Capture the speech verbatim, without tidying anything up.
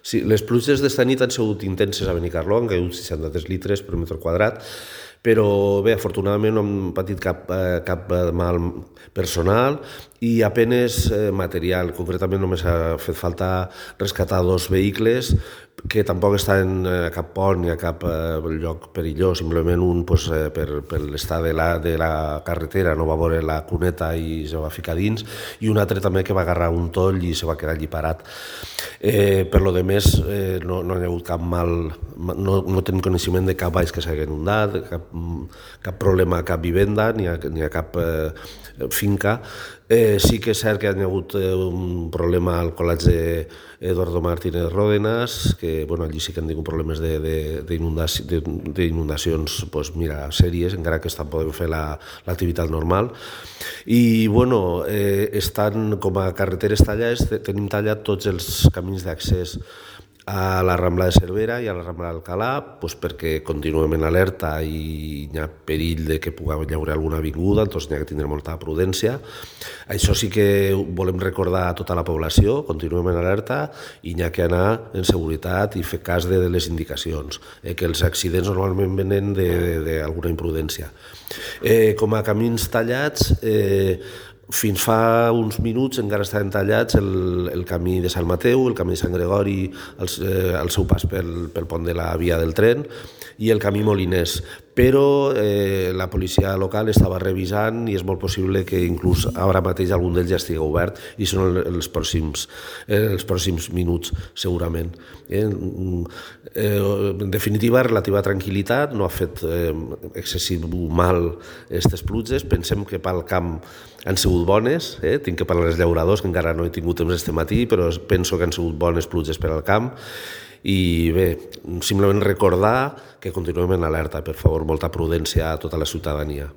Sí, les pluges d'esta nit han sigut intenses a Benicarló, han caigut seixanta-tres litres per metre quadrat, però bé, afortunadament no hem patit cap, eh, cap mal personal i apenes eh, material. Concretament només ha fet falta rescatar dos vehicles que tampoc estan a cap pont ni a cap eh, lloc perillós, simplement un pues, eh, per, per l'estat de, la, de la carretera no va veure la cuneta i se va ficar dins, i un altre també que va agarrar un toll i se va quedar allí parat. Eh, per lo de més, eh, no, no hi ha hagut cap mal, no, no tenim coneixement de cap baix que s'hagi inundat, cap, cap problema a cap vivenda ni a, ni a cap eh, finca. Eh, sí que és cert que hi ha hagut eh, un problema al col·legi d'Eduardo Martínez Ródenas, que bueno, allí sí que han tingut problemes d'inundacions pues, mira, sèries, encara que estan podent fer l'activitat la, normal. I bueno, eh, estan com a carreteres tallades, tenim tallat tots els camins d'accés a la Rambla de Cervera i a la Rambla d'Alcalà, pues perquè continuem en alerta i hi ha perill de que pugui haver alguna avinguda, doncs hi ha que tindre molta prudència. Això sí que volem recordar a tota la població, continuem en alerta i hi ha que anar en seguretat i fer cas de, de les indicacions, eh, que els accidents normalment venen d'alguna imprudència. Eh, com a camins tallats, eh, fins fa uns minuts encara estaven tallats el, el camí de Sant Mateu, el camí de Sant Gregori, el, eh, el seu pas pel, pel pont de la via del tren i el camí Moliners. Però eh, la policia local estava revisant i és molt possible que inclús ara mateix algun d'ells ja estigui obert i són els pròxims, eh, els pròxims minuts segurament. Eh, eh, en definitiva, relativa tranquil·litat, no ha fet eh, excessiu mal aquestes pluges, pensem que pel camp han sigut bones, eh? Tinc que parlar dels llauradors, que encara no he tingut temps este matí, però penso que han sigut bones pluges per al camp. I bé, simplement recordar que continuem en alerta, per favor, molta prudència a tota la ciutadania.